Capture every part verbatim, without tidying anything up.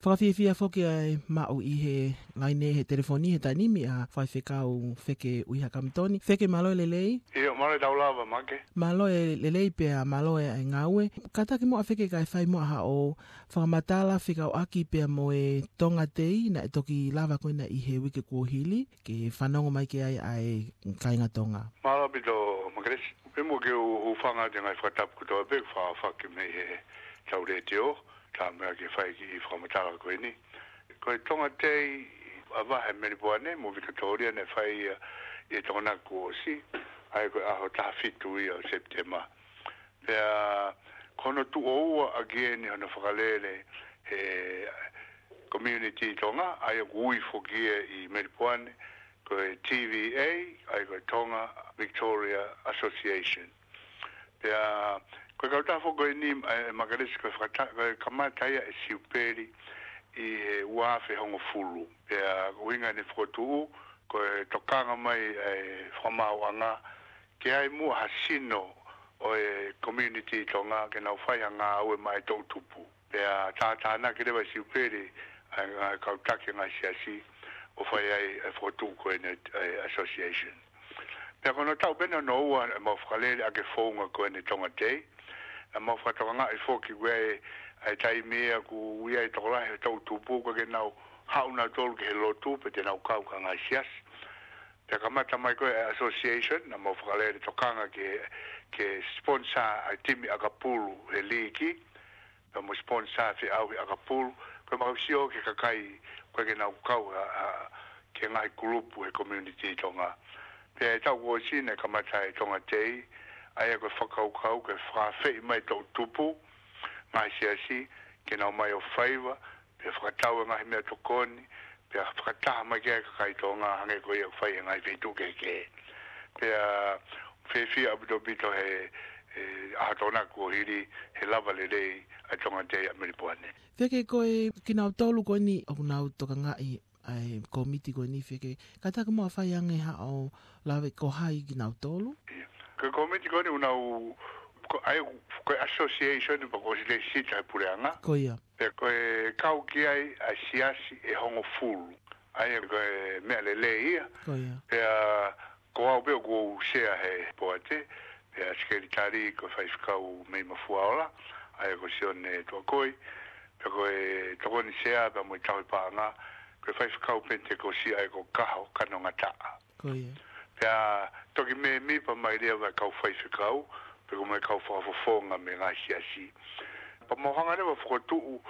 Fakafiefia foki ʻa e maʻu ʻi he laine he telefoni he taimi ni ʻa Faifekau Feke ʻUiha Kamitoni. Feke, mālō e lelei. ʻIo, mālō e tau lava, Make. Mālō e lelei pea mālō e ngāue. Kātaki muʻa Feke kae fai muʻa haʻo fakamatala fekauʻaki pea mo e Tonga Day naʻe toki lava ko ena ʻi he uike kuo hili, ke fanongo mai ki ai ʻa e kāinga Tonga. Mālō ʻaupito, Makelesi. Pea mo ke u, u fanga te ngai fakatapu kotoa pē, fakafaki mei he tau letiō, tā meʻa ke fai ki he fakamatala ko eni. Ko e Tonga Day, ʻa vahe Melipoane mo Vikatōlia naʻe fai ia ʻi he Tokonaki kuo ʻosi, ʻa ia ko e ʻaho taha fitu ia ʻo Sepitema. Pea ko hono tuʻo ua ʻaki eni hono fakalele he community Tonga, ʻa ia ʻoku ui foki ia ʻi Melipoane, ko e T V A, ʻa ia ko e Tonga Victoria Association. Pea, ko e kautaha foki ko eni, ʻe, Makelesi, ko e fakata-, ko e kamata ia e Siupeli ʻi he ua afe hongofulu. Pea, ko e ʻuhinga ʻene fokotuʻu, ko e tokanga mai e fakamaauʻanga, ke ʻi ai muʻa ha sino ʻo e community Tonga, ke nau fai ha ngāue maʻa e toʻutupu. Pea tātānaki leva e Siupeli ʻa e, ʻa e kau taki e ngaahi siasi ʻo fai ai e fokotuʻu ko eni e association. Pea ko hono taʻu pē eni hono ua ʻemau fakalele ʻaki e founga ko eni Tonga Day. Naʻa mau fakatokangaʻi foki ko e, ʻa e taimi ia ʻoku ʻi ai e tokolahi e toʻutupu ʻoku ʻikai ke nau haʻu nautolu ki he lotu pe te nau kau ki ha ngaahi siasi. Pea kamata mai ko e association, naʻa mau fakalele tokanga ke, ke sponsor ʻa e timi ʻakapulu he liiki, pea mo sponsor feʻauhi ʻakapulu, ko e mau sio ki he kakai, ʻoku ʻikai ke nau kau ʻa, ʻa, ki he ngaahi kulupu he community Tonga. Pea ʻi he taʻu kuo ʻosi naʻe kamata e Tonga Day, ʻa ia ko e fakakaukau ke fakaafeʻi mai e toʻutupu, ngaahi siasi, ke nau ō mai ʻo faiva, pea fakatau e ngaahi meʻatokoni, pea fakataha mai ki ai e kakai Tonga hangē ko ia ʻoku fai he ngaahi feituʻu kehekehe. Pea fiefia ʻaupito ʻaupito he, he ʻaho Tokonaki kuo hili, he lava lelei ʻa e Tonga Day ʻa Melipoane. Feke, ko e kinautolu ko eni ʻoku nau tokangaʻi ʻa e kōmiti ko eni, Feke, kātaki muʻa fai ange haʻo lave ko hai kinautolu? ʻIa. Ko e kōmiti ko eni ʻoku nau, ko, ʻa ia, ko e association pea kuo ʻosi lēsisita he puleʻanga. Ko ia. Pea ko e kau ki ai ʻa e siasi ʻe hongofulu. ʻA ia ko e meʻa lelei ia. Ko ia. Pea ko au pē ʻoku ou sea he poate, pea sekelitali ko e Faifekau mei Mafuaola, ʻa ia ko Sione Tuakoi, pea ko e tokoni sea pea mo e tauhi paʻanga, ko e Faifekau Penitekosi ʻa ia ko Kaho Kanongataʻa. Ko ia. Pea toki mēmipa mai leva e kau faifekau, pe ko e kau fakafofonga mei he ngaahi siasi. Pea mau hanga leva ʻo fokotuʻu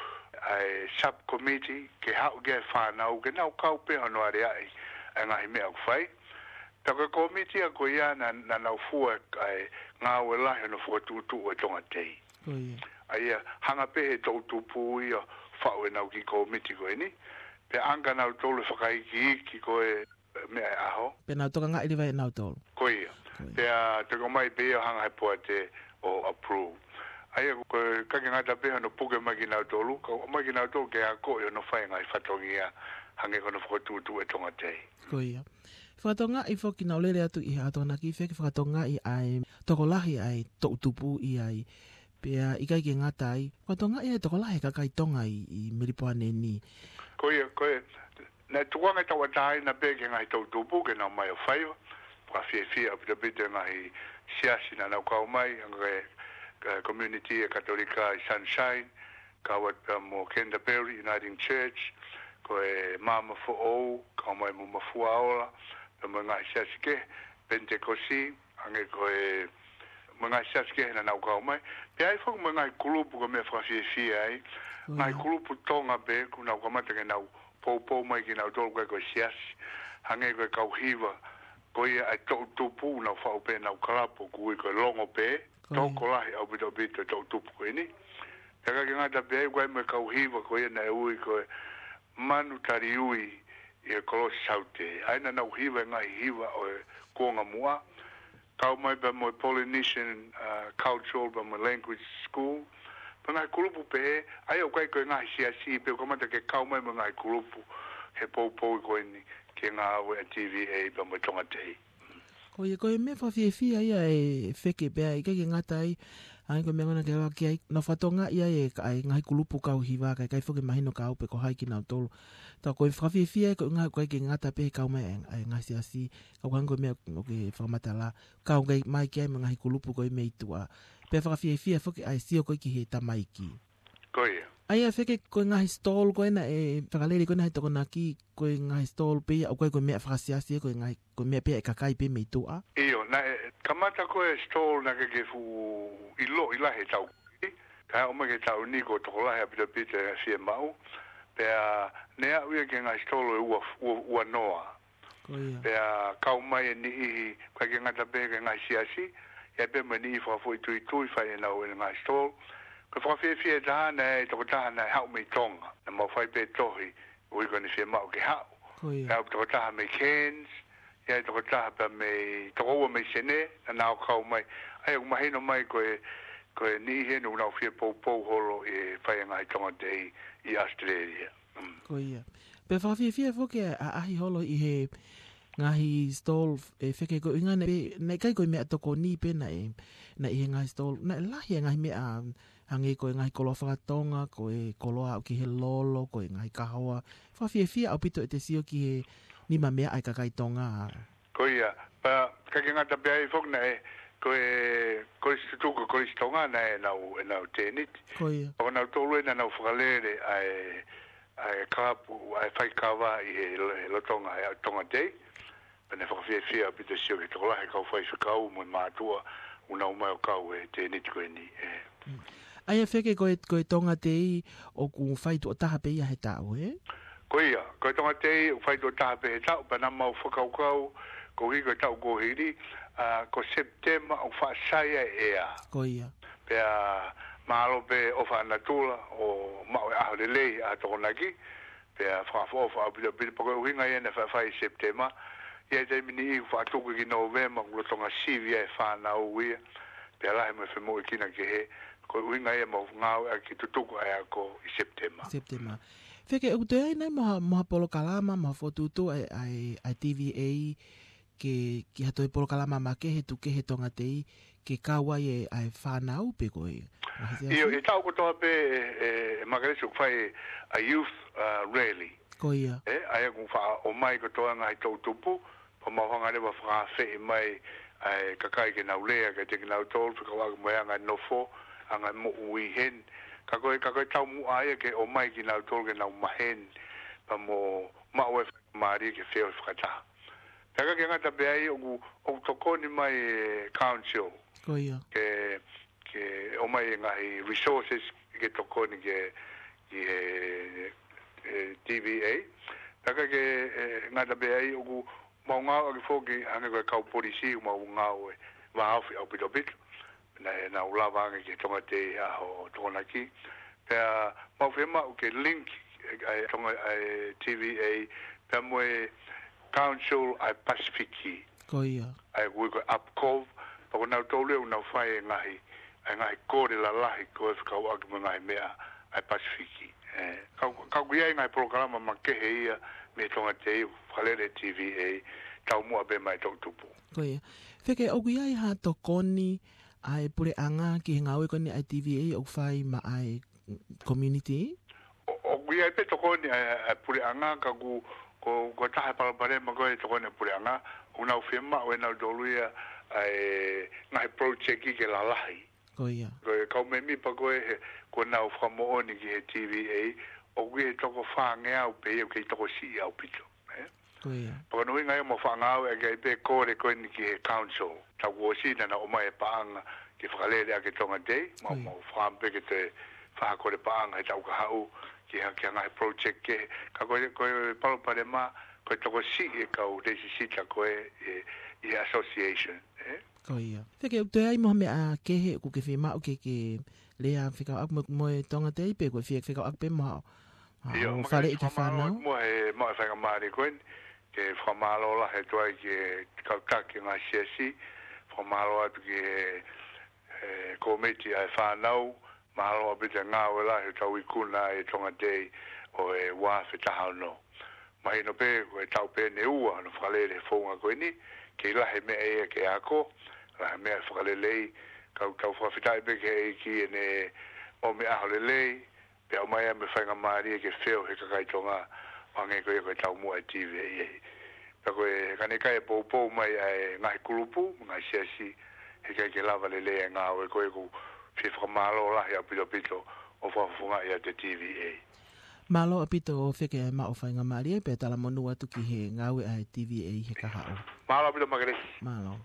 ʻa e subcommittee ke haʻu ki ai e fānau, ke nau kau pē hono aleaʻi ʻa e ngaahi meʻa ʻoku fai. Pea ko e kōmiti ia ko ia naʻa, naʻa nau fua ʻa e ngāue lahi hono fokotuʻutuʻu e Tonga Day. Ko ia. ʻA ia, hanga pē he toʻutupu ia ʻo faʻu ʻenau kiʻi kōmiti ko eni. Pea ʻange kia nautolu e fakaikiiki ko e meʻa e ʻaho. Pea nau tokangaʻi leva ʻe nautolu. Ko ia. Ko ia. Pea toki ʻomai pē ia ʻo hanga he poate ʻo approve. ʻA ia, ko e ʻikai ke ngata pē hono puke mai kia nautolu, ka ʻomai kia nautolu ke akoʻi hono fai e ngaahi fatongia hangē ko hono fokotuʻutuʻu e Tonga Day. Ko ia. Fakatokangaʻi foki, naʻa ku lele atu ʻi he ʻaho Tokonaki, Feke, fakatokangaʻi ʻa e tokolahi ʻa e toʻutupu ʻi ai. Pea ʻikai ke ngata ai, fakatokangaʻi ʻa e tokolahi e kakai Tonga ʻi, ʻi Melipoane ni. Ko ia, ko e, naʻe tukuange tauʻatāina pē ki he ngaahi toʻutupu ke nau ō mai ʻo faiva. Fakafiefia ʻaupito ʻaupito e ngaahi siasi naʻa nau kau mai, hangē ko e, ko e community e Katolika ʻi Sunshine, kau atu pea mo Canterbury Uniting Church, ko e Maama Foʻou, kau mai mo Mafuaola, pea mo e ngaahi siasi kehe, Penitekosi, hangē ko e, mo e ngaahi siasi kehe naʻa nau kau mai. Pea ʻi ai foki mo e ngaahi kulupu ko e meʻa fakafiefia ai. Ko ia. Ngaahi kulupu Tonga pē, ʻoku nau kamata ke nau poupou mai kia nautolu ʻoku ʻikai ko e siasi. Hangē ko e kau hiva, ko ia ʻa e toʻutupu, ʻoku nau faʻu pē ʻenau kalapu ʻoku ui ko e Longo pē. Ko ia. Tokolahi ʻaupito ʻaupito e toʻutupu ko eni. Pea ʻikai ke ngata pē ai, ʻoku ʻi ai mo e kau hiva ko ia naʻe ui ko e Manu Taliui ʻi he Kolosi Saute. ʻA ia naʻa nau hiva e ngaahi hiva ʻo e kuonga muʻa. Kau mai pea mo e Polynesian, uh, Cultural pea mo e Language School. Pea ngaahi kulupu pehē, ʻa ia ʻoku ʻikai ko e ngaahi siasi pē, ʻoku kamata ke kau mai mo e ngaahi kulupu he poupou ko eni ki he ngāue ʻa e T V A pea mo e Tonga Day. Ko ia, ko e meʻa fakafiefia ia ē Feke, pea ʻikai ke ngata ai, ʻA ia ko e meʻa ko ena ke ʻalu ki ai, nau fakatokangaʻi ai e ka-, ʻa e ngaahi kulupu kau hiva, ka ʻikai foki ke mahino kia au pe ko hai kinautolu. Tā ko e fakafiefia ko e ʻuhinga ʻoku ʻikai ke ngata pē he kau mai ʻa e, ʻa e ngaahi siasi, ka ʻoku hangē ko e meʻa ʻoku ke fakamatala, kau mai ki ai mo e ngaahi kulupu ko ē mei tuʻa. Pea fakafiefia foki ʻa e sio ko ē ki he tamaiki. Ko ia. ʻA ia Feke ko e ngaahi stall ko ena ʻe fakalele ko ena he Tokonaki, ko e ngaahi stall pē ia, ʻoku ʻikai ko e meʻa fakasiasi, ko e ngaahi, ko e meʻa pē ia ʻa e kakai pē mei tuʻa. ʻIo, naʻe kamata ko e stall naʻe ʻikai ke fuʻu ʻiloʻi lahi he taʻu ko ē, ka ʻomai ki he taʻu ni kuo tokolahi ʻaupito ʻaupito e fiemaʻu, pea ne aʻu ia ki he ngaahi stall ʻe ua, ua, ua noa. Ko ia. Pea kau mai e niʻihi, ʻikai ke ngata pē ki he ngaahi siasi, ʻi ai pē mo e niʻihi fakafoʻituitui fai ʻenau ʻenau ngaahi stall. Ko e fakafiefia ʻe taha naʻe ʻi ai e tokotaha naʻe haʻu mei Tonga. Naʻa mau fai pē tohi, ʻuhi ko ʻene fiemaʻu ke haʻu. Ko ia. Pea ʻi ai e tokotaha mei Cairns, ʻi ai e tokotaha pea mei, toko ua mei Senē, naʻa nau kau mai. ʻA ia ʻoku mahino mai ko e, ko e niʻihi eni ʻoku nau fie poupou holo ʻi he fai e ngaahi Tonga Day ʻi Australia. Mm. Ko ia. Pea fakafiefia foki e ʻaʻahi holo ʻi he ngaahi stall, ʻe Feke, ko e ʻuhinga naʻe, naʻe ʻikai ko e meʻatokoni pē naʻe, naʻe ʻi he ngaahi stall, naʻe lahi e ngaahi meʻa hangē ko e ngaahi koloa fakatonga, ko e koloa ʻoku ʻi he lolo, ko e ngaahi kahoa. Fakafiefia ʻaupito ʻete sio ki he nima meʻa ʻa e kakai Tonga. Ko ia, pea ʻikai ke ngata pē ai foki naʻe, ko e, ko e Kolisi Tutuku, Kolisi Tonga naʻe ʻenau, ʻenau tēniti. Ko ia. Pea ko nautolu ē naʻa nau fakalele ʻa e, ʻa e kalapu, ʻa e faikava ʻi he, he lolotonga ʻa e Tonga Day. Pea naʻe fakafiefia ʻaupito sio ki he tokolahi e kau faifekau mo e mātuʻa, ʻoku nau mai ʻo kau he tēniti ko eni, ē. Mm. ʻA ia Feke ko e, ko e Tonga Day ʻoku fai tuʻo taha pē ia he taʻu, ē? Ko ia, ko e Tonga Day ʻoku fai tuʻo taha pē he taʻu, pea naʻa mau fakakaukau, koeʻuhi ko e taʻu kuo hili, ʻa, ko Sepitema ʻoku faʻa sai ai e ʻea. Ko ia. Pea mālō pē ʻofa ʻa natula ʻo maʻu e ʻaho lelei ʻa Tokonaki, pea fakaʻofoʻofa ʻaupito ʻaupito, pea ko e ʻuhinga ia naʻe faʻa fai ʻi Sepitema, ʻi ai e taimi niʻihi ʻoku faʻa tuku ki Nōvema, ʻoku lolotonga sivi ai e fānau ia, pea lahi mo e femoʻuekina kehe, ko e ʻuhinga ia ʻoku mau ngāueʻaki e tutuku ʻa e ako ʻi Sepitema. Sepitema. Feke, ʻoku toe ʻi ai nai mo ha, mo ha polokalama, mo ha fokotuʻutuʻu ʻa e, ʻa e, ʻa e T V A, ke, ki ha toe polokalama makehe tuku kehe Tonga Day, ke kau ai e, ʻa e fānau pe ko e ngaahi siasi? ʻIo, ʻi he taʻu kotoa pē, ʻe, ʻe, ʻe Makelesi ʻoku fai ʻa e youth, uh, rally. Ko ia. Ē, ʻa ia ʻoku faʻa ʻomai kotoa e ngaahi toʻutupu, pea mau hanga leva ʻo fakaafeʻi mai ʻa e kakai ke nau lea kiate kinautolu, fekauʻaki mo e anga e nofo, anga e moʻui heni. Ka ko e, ka ko e taumuʻa ia ke ʻomai kinautolu ke nau maheni, pea mo maʻu e faingamālie ke feohi fakataha. Pea ʻikai ke ngata pē ai ʻoku, ʻoku tokoni mai e council. Ko ia. Ke, ke ʻomai e ngaahi resources ke tokoni ki he, ki he, e, T V A. Pea ʻikai ke, e, ngata pē ai ʻoku mau ngāueʻaki foki hangē ko e kau polisi ʻoku mau ngāue vāofi ʻaupito ʻaupito. Naʻa nau lava ange ki he Tonga Day ʻa e ʻaho Tokonaki. Pea mau fiemaʻu ke link e, ʻa e Tonga, ʻa e T V A, pea mo e Council ʻa e Pasifiki. Ko ia. ʻA ia ʻoku ui ko e APCOV, pea ko nautolu ʻoku nau fai e ngaahi, ʻa e ngaahi kole lalahi ko ē fekauʻaki mo e ngaahi meʻa ʻa e Pasifiki. Ē, ka, ka ʻoku ʻi ai e ngaahi polokalama makehe ia mei he Tonga Day, fakalele T V A, taumuʻa pē maʻa e toʻutupu. Ko ia. Feke, ʻoku ʻi ai ha tokoni ʻa e puleʻanga ki he ngāue ko eni ʻa e T V A ʻoku fai maʻa e community? ʻO, ʻoku ʻi ai pē tokoni ʻa e, ʻa e puleʻanga, ka ʻoku, ko, ko e taha e palopalema ko e tokoni ʻa e puleʻanga, ʻoku nau fiemaʻu ʻe nautolu ia ʻa e ngaahi project ke lalahi. Ko ia. Ko e kau mēmipa ko ē he, ʻoku nau fakamoʻoni ki he T V A, ʻoku ʻi he toko fāngeau pē ia, ʻoku kei tokosiʻi ʻaupito. Ē? Ko ia. Pea ko hono ʻuhinga ia ʻoku mau faʻa ngāueʻaki ai pē e kole ko eni ki he council. Taʻu kuo ʻosi naʻa nau ʻomai e paʻanga ke fakalele ʻaki e Tonga Day, mau, ko ia, mau fakaʻamu pē ke toe fai ha kole paʻanga he taʻu kahaʻu ki ha, ki ha ngaahi project kehe. Ka ko e, ko e palopalema, ko e tokosiʻi e kau lēsisita ko ē, e, ʻi he association, ē? Ko ia. Feke, ʻoku toe ʻi ai mo ha meʻa kehe ʻoku ke fiemaʻu ke, ke lea fekauʻaki mo, mo e Tonga Day pe ko e fie fekauʻaki pē mo ha, ha, ʻio, ʻo faleʻi ki he fānau? Mo e, mo e faingamālie ko eni, ke fakamālō lahi atu ai ki he kau taki e ngaahi siasi, fakamālō atu ki he, e, kōmiti ʻa e fānau, mālō ʻaupito e ngāue lahi ʻoku tau ikuna ai e Tonga Day ʻo e ua afe taha ono. Mahino pē, ko e taʻu pē ʻe ua hono fakalele e founga ko eni, kei lahi e meʻa ia ke ako, lahi e meʻa fakalelei, Kau tau fakafetaʻi pē ki he ʻEiki ʻene ʻomi ʻaho lelei, pea ʻomai ʻa e faingamālie ke feo he kakai Tonga, ʻo hangē ko ia ko e taumuʻa ʻa e T V A. Pea ko e ka ne ʻikai poupou mai ʻa e ngaahi kulupu, ngaahi siasi, heʻikai ke lava lelei ʻa e ngāue ko ē. ʻOku ou fie fakamālō lahi ʻaupito ʻaupito ʻo fakafofongaʻi ʻa e T V A. Mālō ʻaupito ʻo feke ʻa e maʻu faingamālie pea talamonū atu ki he ngāue ʻa e T V A he kahaʻu. Mālō ʻaupito Makelesi. Mālō.